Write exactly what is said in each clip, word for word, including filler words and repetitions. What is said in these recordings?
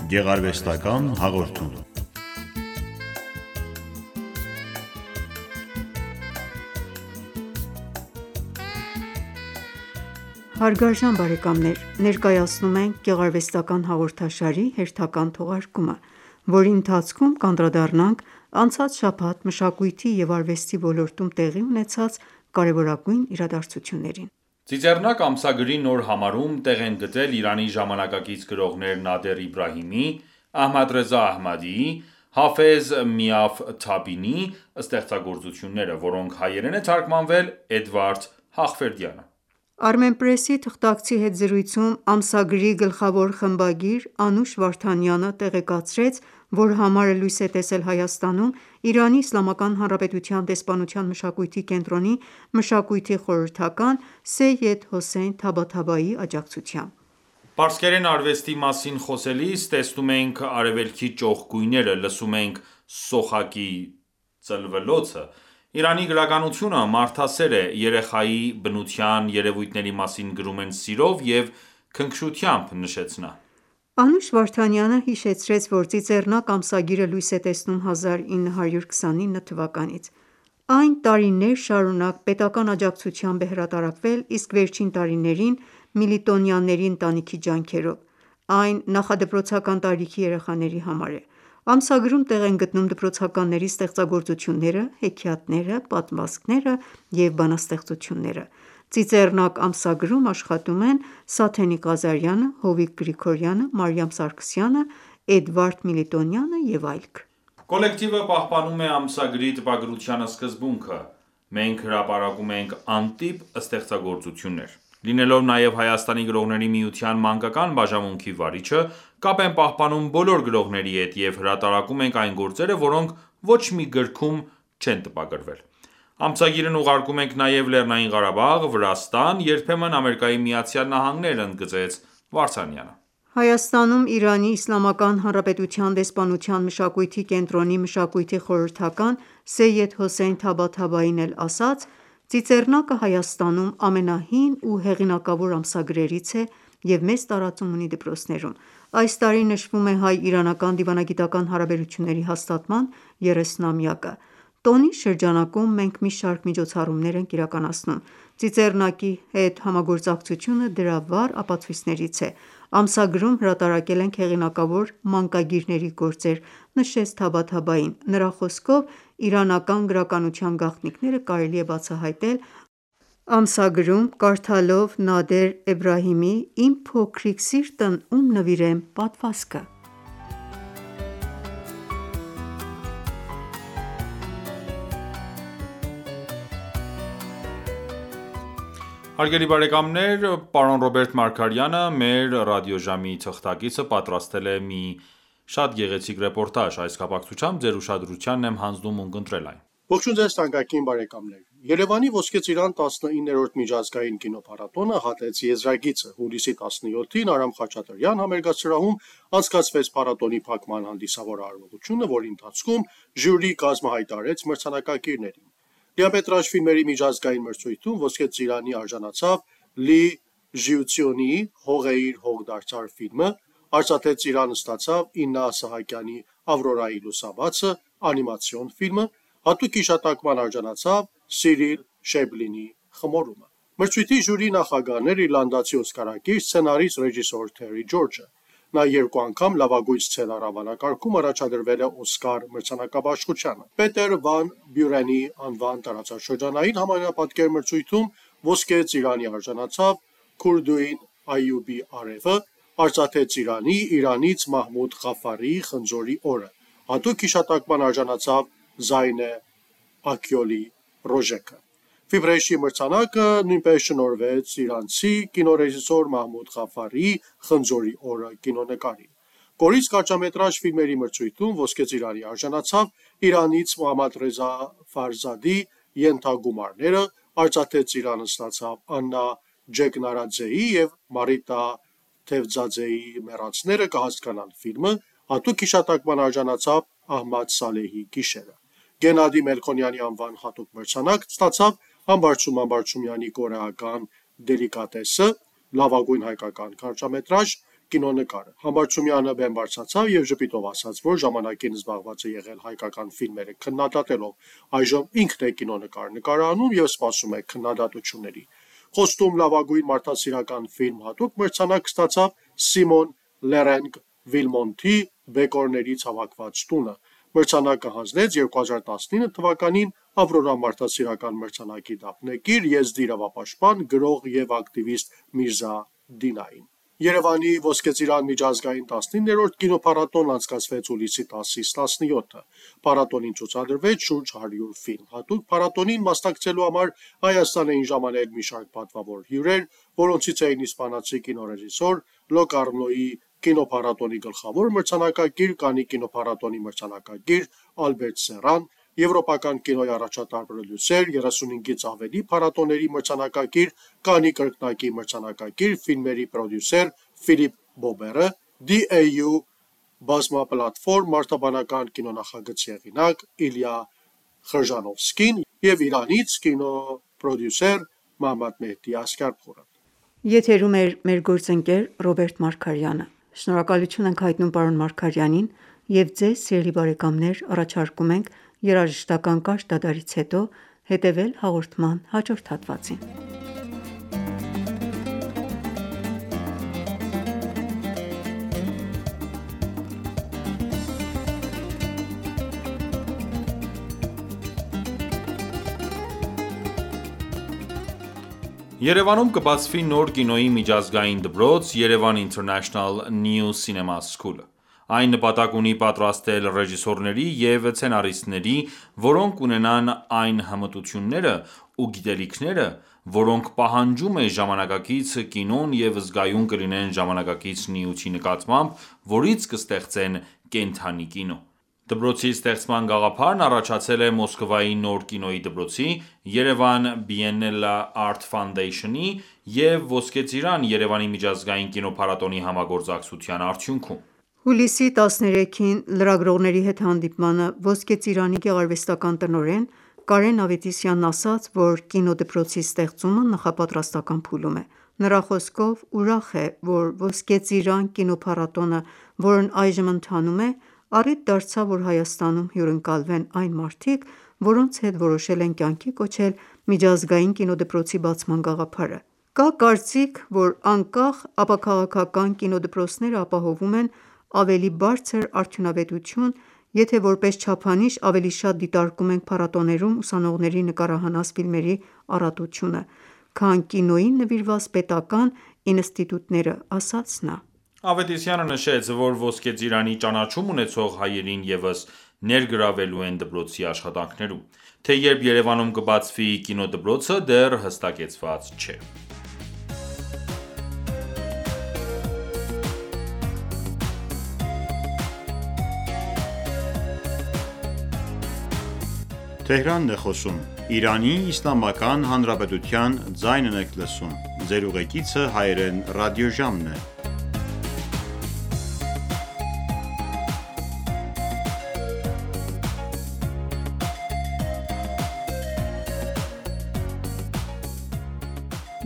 Գեղարվեստական հաղորդում։ Հարգարժան բարեկամներ, ներկայացնում ենք գեղարվեստական հաղորդաշարի հերթական թողարկումը, որի ընթացքում կանդրադառնանք անցած շաբաթ մշակույթի և արվեստի ոլորտում տեղի ունեցած կարևորագույն իրադարձություններին։ Ծիծեռնակ ամսագրի նոր համարում տեղ են գտել Իրանի ժամանակակից գրողներ Նադեր Իբրահիմի, Ահմադռեզա Ահմադիի, Հաֆեզ Միաֆթաբինի ստեղծագործությունները, որոնք հայերեն է թարգմանվել Էդվարդ Հաղվերդյանը։ Armenpress-ի թղթակցի հետ զրույցում ամսագրի գլխավոր խմբագիր Անուշ Վարդանյանը տեղեկացրեց, որ համարը լույս է տեսել Հայաստանում Իրանի Իսլամական Հանրապետության դեսպանության մշակույթի կենտրոնի մշակույթի խորհրդական Սեյեդ Հոսեյն Թաբաթաբայի աջակցությամբ։ Պարսկերեն արվեստի մասին խոսելիս տեսնում ենք արևելքի ճոխ գույները, լսում ենք սոխակի ծլվելոցը։ Իրանի գրականությունը մարդասեր է, երեխայի բնության երևույթների մասին գրում են սիրով և քնքշությամբ, նշեց նա։ Անուշ Վարդանյանը հիշեցրեց, որ Ծիծեռնակ ամսագիրը լույս է տեսնում հազար ինը հարյուր քսանինը թվականից։ Այն տարիներ շարունակ պետական աջակցությամբ է հրատարակվել, իսկ վերջին տարիներին միլիտոնյաների ընտանիքի ջանքերով։ Այն նախադպրոցական տարիքի երեխաների համար է։ Ամսագրում տեղ են գտնում դպրոցականների ստեղծագործությունները, հեքիաթները, պատմվածքները և բանաստեղծությունները։ Ծիծեռնակ ամսագրում աշխատում են Սաթենիկ Ղազարյանը, Հովիկ Գրիգորյանը, Մարիամ Սարգսյանը, Էդվարդ Միլիտոնյանը և այլք։ Կոլեկտիվը պահպանում է ամսագրի տպագրության սկզբունքը։ Մենք հրապարակում ենք անտիպ ստեղծագործություններ։ Լինելով նաև Հայաստանի գրողների միության մանկական բաժանմունքի վարիչը, կապ են պահպանում բոլոր գրողների հետ և հրատարակում ենք այն գործերը, որոնք ոչ մի գրքում չեն տպագրվել։ Ամսագիրն ուղարկում ենք նաև Լեռնային Ղարաբաղ, Վրաստան, երբեմն ԱՄՆ, ընդգծեց Վարդանյանը։ Հայաստանում Իրանի Իսլամական Հանրապետության դեսպանության մշակույթի կենտրոնի մշակույթի խորհրդական Սեյեդ Հոսեյն Թաբաթաբային էլ ասաց. «Ծիծեռնակը Հայաստանում ամենահին ու հեղինակավոր ամսագրերից է և մեծ տարածում ունի դպրոցներում։ Այս տարի նշվում է հայ-իրանական դիվանագիտական հարաբերությունների հաստատման երեսնամյակը։ Տոնի շրջանակում մենք մի շարք միջոցառումներ ենք իրականացնում։ Ծիծեռնակի հետ համագործակցությունը դրա վառ ապացույցներից է։ Ամսագրում հրատարակել ենք հեղինակավոր մանկագիրների գործեր», նշեց Թաբաթաբային։ Նրա խոսքով իրանական գրականության գաղտնիքները կարելի է բացահայտել ամսագրում՝ կարդալով Նադեր Էբրահիմի «Իմ փոքրիկ սիրտն ում նվիրեմ» պատմվածքը։ Հարգելի բարեկամներ, պարոն Ռոբերտ Մարգարյանը, մեր ռադիոժամի թղթակիցը, պատրաստել է մի շատ գեղեցիկ ռեպորտաժ։ Այս կապակցությամբ ձեր ուշադրությանն եմ հանձնում ունկնդրել այն։ Ողջույն ձեզ թանկագին բարեկամներ։ Երևանի Ոսկե ծիրան տասնիններորդ միջազգային կինոփառատոնը հատեց եզրագիծը։ Հուլիսի տասնյոթին Արամ Խաչատրյան համերգասրահում անցկացվեց փառատոնի փակման հանդիսավոր արարողությունը, որի ընթացքում ժյուրի կազմը հայտարարեց մրցանակակիրներին։ Դիամետրաժ ֆիլմերի միջազգային մրցույթում Ոսկե ծիրանի արժանացավ Լի Ժիությունիի «Հողեիր, հող դարձար» ֆիլմը, արծաթե ծիրան ստացավ Իննա Սահակյանի «Ավրորայի լուսաբացը» անիմացիոն ֆիլմը, հատուկ հիշատակման արժանացավ Սիրիլ Շեբլինի «Խմորումը»։ Մրցույթի ժյուրի նախագահն էր իռլանդացի օսկարակիր սցենարիստ ռեժիսոր Թերի Ջորջը։ Նա երկու անգամ լավագույն սցենար անվանակարգում առաջադրվել է Օսկար մրցանակաբաշխությանը։ Պետեր Վան Բյուրենի անվան տարածաշրջանային համանապատկեր մրցույթում Ոսկե ծիրանի արժանացավ Քուրդուին Այյուբի արևը, արծաթե ծիրանի Իրանից Մահմուդ Ղաֆարիի «Խնձորի օրը», հատուկ հիշատակման արժանացավ Զայնե Աքյոլի «Ռոժեկը»։ Ֆիբրեշի մրցանակը նույնպես շնորհվեց իրանցի կինոռեժիսոր Մահմուդ Ղաֆարիի «Խնձորի օրը» կինոնկարին։ Կորից կարճամետրաժ ֆիլմերի մրցույթում Ոսկե ծիրանի արժանացավ Իրանից Մոհամմադռեզա Ֆարզադի «Ենթագումարները», արծաթե ծիրան ստացավ Աննա Ջեգնարաձեի և Մարիտա Թևձաձեի «Մեռածները կհասկանան» ֆիլմը, հատուկ հիշատակման արժանացավ Ահմադ Սալեհի «Գիշերը»։ Գենադի Մելքոնյանի անվան հատուկ մրցանակ ստացավ Համբարձում Համբարձումյանի կորեական «Դելիկատեսը», լավագույն հայկական կարճամետրաժ, կինոնկարը։ Համբարձումյանը բեմ բարձրացավ և ժպիտով ասաց, որ ժամանակին զբաղված է եղել հայկական ֆիլմերը քննադատելով, այժմ ինքն է կինոնկար նկարահանում և սպասում է քննադատությունների։ Խոստում լավագույն մարդասիրական ֆիլմ հատուկ մրցանակ ստացավ Սիմոն Լերենգ Վիլմոնթի «Բեկորներից հավաքված տունը»։ Մրցանակը հանձնեց երկու հազար տասնինը թվականին Ավրորա մարդասիրական մրցանակի դափնեկիր, եզդի իրավապաշտպան, գրող և ակտիվիստ Միրզա Դինային։ Երևանի Ոսկե Ծիրան միջազգային տասնիններորդ կինոփառատոնն անցկացվեց հուլիսի տասից տասնյոթը։ Փառատոնին ցուցադրվեց շուրջ հարյուր ֆիլմ։ Հատուկ փառատոնին մասնակցելու համար Հայաստան էին ժամանել մի շարք պատվավոր հյուրեր, որոնցից էին իսպանացի կինոռեժիսոր Լոկարնոյի կինոփառատոնի գլխավոր մրցանակակիր, Կաննի կինոփառատոնի մրցանակակիր Ալբերտ Սերրան, եվրոպական կինոյի առաջատար պրոդյուսեր, երեսունհինգից ավելի փառատոների մրցանակակիր, Կաննի կրկնակի մրցանակակիր ֆիլմերի պրոդյուսեր Ֆիլիպ Բոբերը, Դի Էյ Յու բազմապլատֆորմ մարդաբանական կինոնախագծի հեղինակ Իլյա Խրժանովսկին և Իրանից կինոպրոդյուսեր Մոհամմադ Մեհդի Ասգարփուրը։ Եթերում է մեր գործընկեր Ռոբերտ Մարգարյանը։ Շնորհակալություն ենք հայտնում պարոն Մարգարյանին և ձեզ սիրելի բարեկամներ առաջարկում ենք երաժշտական կարճ դադարից հետո հետևել հաղորդման հաջորդ հատվածին։ Երևանում կբացվի նոր կինոյի միջազգային դպրոց «Yerevan International New Cinema School»։ Այն նպատակ ունի պատրաստել ռեժիսորների և սցենարիստների, որոնք ունենան այն հմտությունները ու գիտելիքները, որոնք պահանջում է ժամանակակից կինոն և զգայուն կլինեն ժամանակակից նյութի նկատմամբ, որից կստեղծեն կենդանի կինո։ Դպրոցի ստեղծման գաղափարն առաջացել է Մոսկվայի նոր կինոյի դպրոցի, Yerevan Biennale Art Foundation-ի և Ոսկե Ծիրան Երևանի միջազգային կինոփառատոնի համագործակցության արդյունքում։ Հուլիսի տասներեքին լրագրողների հետ հանդիպմանը Ոսկե Ծիրանի գեղարվեստական տնօրեն Կարեն Ավետիսյանն ասաց, որ կինոդպրոցի ստեղծումը նախապատրաստական փուլում է։ Նրա խոսքով ուրախ է, որ Ոսկե Ծիրան կինոփառատոնը, որն այժմ ընթանում է, առիթ դարձավ, որ Հայաստանում հյուրընկալվեն այն մարդիկ, որոնց հետ որոշել են կյանքի կոչել միջազգային կինոդպրոցի բացման գաղափարը։ Կա կարծիք, որ անկախ ապաքաղաքական կինոդպրոցները ապահովում են ավելի բարձր արդյունավետություն, եթե որպես չափանիշ ավելի շատ դիտարկում ենք փառատոներում ուսանողների նկարահանած ֆիլմերի առատությունը, քան կինոյին նվիրված պետական ինստիտուտները, ասաց նա։ Ավետիսյանը նշեց, որ Ոսկե Ծիրանի ճանաչում ունեցող հայերին ևս ներգրավելու են դպրոցի աշխատանքներում, թե երբ Երևանում կբացվի կինոդպրոցը դեռ հստակեցված չէ։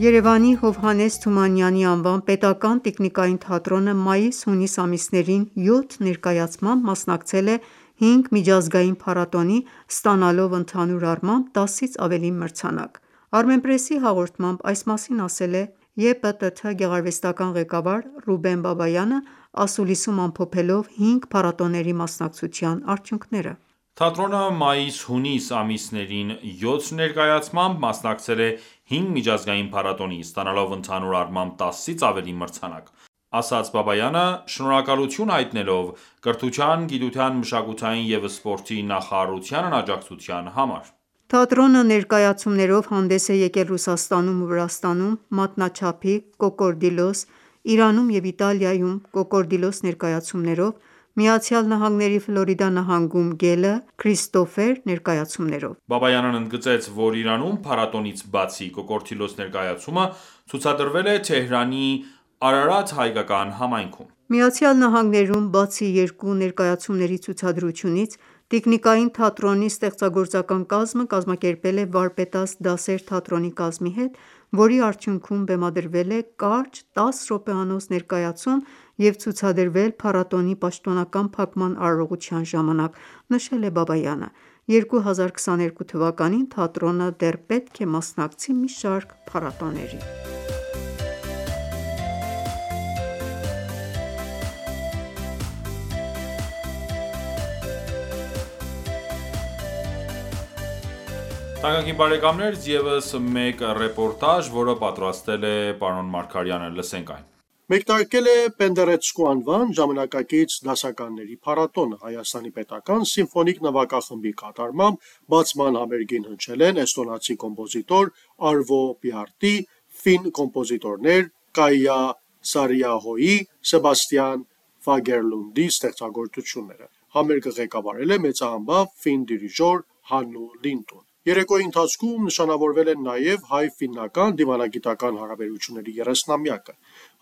Երևանի Հովհաննես Թումանյանի անվան պետական տիկնիկային թատրոնը մայիս-հունիս ամիսներին յոթ ներկայացմամբ մասնակցել է հինգ միջազգային փառատոնի, ստանալով ընդհանուր առմամբ տասից ավելի մրցանակ։ Armenpress-ի հաղորդմամբ այս մասին ասել է Ե Պ Տ Թ գեղարվեստական ղեկավար Ռուբեն Բաբայանը՝ ասուլիսում ամփոփելով հինգ փառատոների մասնակցության արդյունքները։ Թատրոնը մայիս-հունիս ամիսներին յոթ ներկայացմամբ մասնակցել է հինգ միջազգային փառատոնի, ստանալով ընդհանուր առմամբ տասից ավելի մրցանակ, ասաց Բաբայանը՝ շնորհակալություն հայտնելով կրթության, գիտության, մշակութային և սպորտի նախարարությանն աջակցության համար։ Թատրոնը ներկայացումներով հանդես է եկել Ռուսաստանում ու Վրաստանում մատնաչափի «Կոկորդիլոս», Իրանում և Իտալիայում «Կոկորդիլոս» ներկայացումներով, ԱՄՆ-ի Ֆլորիդա նահանգում «Գելը», «Քրիստոֆեր» ներկայացումներով։ Բաբայանն ընդգծեց, որ Իրանում փառատոնից բացի «Կոկորդիլոս» ներկայացումը ցուցադրվել է Թեհրանի Արարատ հայկական համայնքում։ ԱՄՆ-ում բացի երկու ներկայացումների ցուցադրությունից, Տիկնիկային թատրոնի ստեղծագործական կազմը կազմակերպել է վարպետաց դասեր թատրոնի կազմի հետ, որի արդյունքում բեմադրվել է կարճ տաս րոպեանոց ներկայացում և ցուցադրվել փառատոնի պաշտոնական փակման արարողության ժամանակ, նշել է Բաբայանը: երկու հազար քսաներկու թվականին թատրոնը դեռ պետք է մասնակցի մի շարք փառատոների: ԵՒս մեկ ռեպորտաժ, որը պատրաստել է պարոն Մարգարյանը: Մեկնարկել է «Պենդերեցկու» անվան ժամանակակից դասականների փառատոնը: Հայաստանի պետական սիմֆոնիկ նվագախմբի կատարմամբ բացման համերգին հնչել են էստոնացի կոմպոզիտոր Արվո Փիարթի, ֆին կոմպոզիտորներ Կայա Սարիահոյի, Սեբաստիան Ֆագերլունդի ստեղծագործությունները: Համերգը ղեկավարել է մեծահանբավ ֆին դիրիժոր Հաննու Լինտուն: Երեկոյի ընթացքում նշանավորվել են նաև հայ-ֆիննական դիվանագիտական հարաբերությունների երեսնամյակը: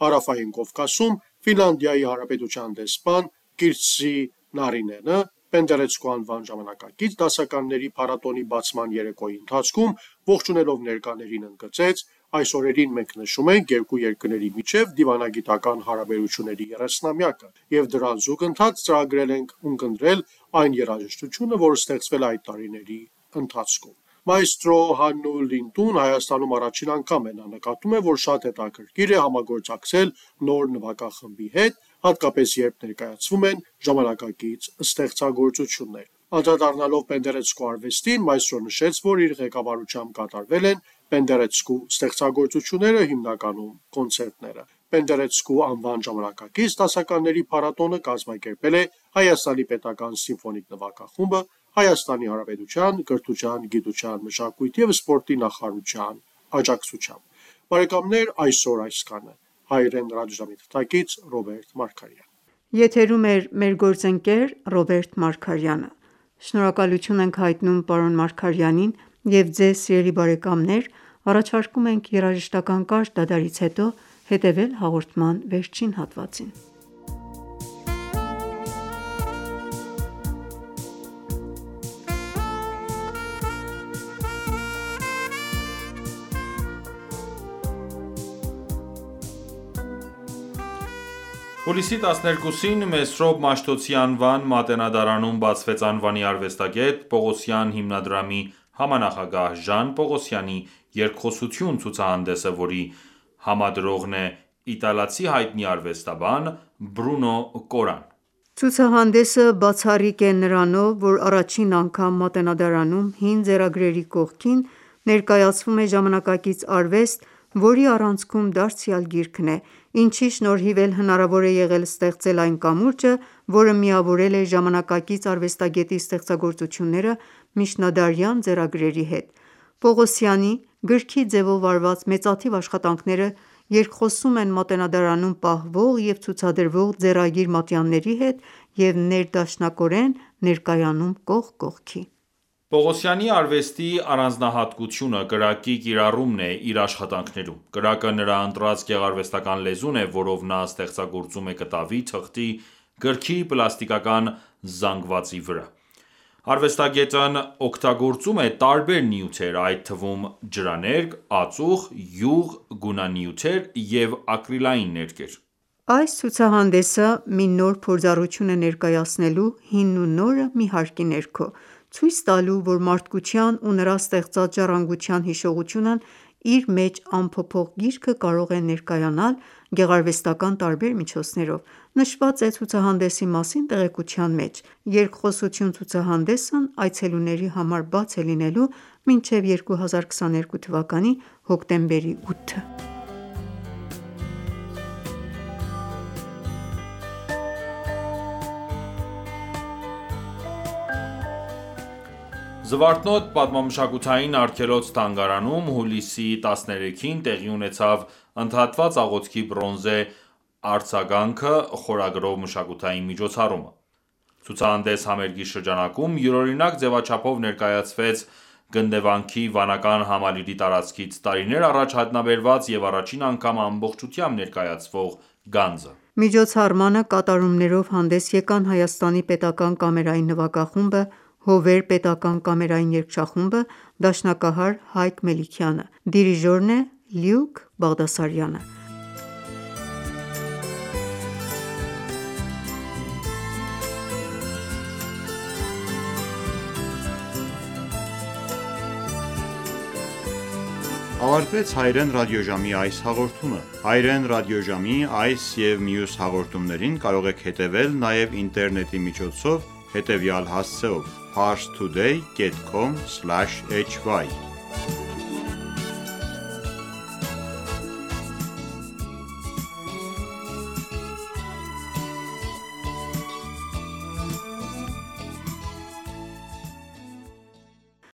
Հարավային Կովկասում Ֆինլանդիայի Հանրապետության դեսպան Կիրստի Նարինենը «Պենդերեցկու» անվան ժամանակակից դասականների փառատոնի բացման երեկոյի ընթացքում ողջունելով ներկաներին ընդգծեց. «Այս օրերին մենք նշում ենք երկու երկրների միջև դիվանագիտական հարաբերությունների երեսնամյակը և դրան զուգընթաց ծրագրել ենք ունկնդրել այն երաժշտությունը, որը ստեղծվել է այդ տարիների ընթացքում»: Մաեստրո Հաննու Լինտուն Հայաստանում առաջին անգամ է: Նա նկատում է, որ շատ հետաքրքիր է համագործակցել նոր նվագախմբի հետ, հատկապես երբ ներկայացվում են ժամանակակից ստեղծագործություններ: Անդրադառնալով «Պենդերեցկու» արվեստին, մաեստրոն նշեց, որ իր ղեկավարությամբ կատարվել են «Պենդերեցկու» ստեղծագործությունները, հիմնականում կոնցերտները: «Պենդերեցկու» անվան ժամանակակից դասականների փառատոնը կազմակերպել է Հայաստանի պետական սիմֆոնիկ նվագախումբը Հայաստանի Հանրապետության կրթության, գիտության, մշակույթի և սպորտի նախարարության աջակցությամբ: Այսօր այսքանը: Հայրեն ռադիոժամի թղթակից Ռոբերտ Մարգարյան: Եթերում էր մեր գործընկեր Ռոբերտ Մարգարյանը: Շնորհակալություն ենք հայտնում պարոն Մարգարյանին և ձեզ սիրելի բարեկամներ առաջարկում ենք երաժշտական կարճ դադարից հետո հետևել հաղորդման վերջին հատվածին: Հուլիսի տասներկուսին Մեսրոպ Մաշտոցի անվան Մատենադարանում բացվեց անվանի արվեստագետ Պողոսյան հիմնադրամի համանախագահ Ժան Պողոսյանի երկխոսություն ցուցահանդեսը, որի համադրողն է իտալացի հայտնի արվեստաբան Բրունո Կորան: Ցուցահանդեսը բացառիկ է նրանով, որ առաջին անգամ Մատենադարանում հին ձեռագրերի կողքին ներկայացվում է ժամանակակից արվեստ, որի առանցքում դարձյալ գիրքն է, ինչի շնորհիվ էլ հնարավոր է եղել ստեղծել այն կամուրջը, որը միավորել է ժամանակակից արվեստագետի ստեղծագործությունները միջնադարյան ձեռագրերի հետ: Պողոսյանի գրքի ձևով արված մեծաթիվ աշխատանքները երկխոսում են Մատենադարանում պահվող և ցուցադրվող ձեռագիր մատյանների հետ և ներդաշնակորեն ներկայանում կողք կողքի: Պողոսյանի արվեստի առանձնահատկությունը կրակի կիրառումն է իր աշխատանքներում: Կրակը նրա ընտրած գեղարվեստական լեզուն է, որով նա ստեղծագործում է կտավի, թղթի, գրքի, պլաստիկական զանգվածի վրա: Արվեստագետն օգտագործում է տարբեր նյութեր, այդ թվում ջրաներկ, ածուխ, յուղ, գունանյութեր և ակրիլային ներկեր: Այս ցուցահանդեսը մի նոր փորձառություն է ներկայացնելու հինն ու նորը մի հարկի ներքո, ցույց տալու, որ մարդկության ու նրա ստեղծած ժառանգության հիշողությունն իր մեջ անփոփոխ գիրքը կարող է ներկայանալ գեղարվեստական տարբեր միջոցներով: Նշված է ցուցահանդեսի մասին տեղեկության մեջ: Երկխոսություն ցուցահանդեսն այցելուների համար բաց է լինելու մինչև երկու հազար քսաներկու թվականի հոկտեմբերի ութը: Զվարթնոտ պատմամշակութային արգելոց-թանգարանում հուլիսի տասներեքին տեղի ունեցավ «Ընդհատված աղոթքի բրոնզե արձագանքը» խորագրով մշակութային միջոցառումը: Ցուցահանդես համերգի շրջանակում յուրօրինակ ձևաչափով ներկայացվեց գնդեվանքի վանական համալիրի տարածքից տարիներ առաջ հայտնաբերված և առաջին անգամ ամբողջությամբ ներկայացվող գանձը: Միջոցառմանը կատարումներով հանդես եկան Հայաստանի պետական կամերային նվագախումբը, Հովեր պետական կամերային երգչախումբը, դաշնակահար Հայկ Մելիքյանը: Դիրիժորն է Լյուկ Բաղդասարյանը: ավարտվեց հայրեն ռադիոժամի այս հաղորդումը։ Հայրեն ռադիոժամի այս և մյուս հաղորդումներին կարող եք հետևել նաև ինտերնետի միջոցով հետևյալ հասցեով՝ parstoday dot com slash hy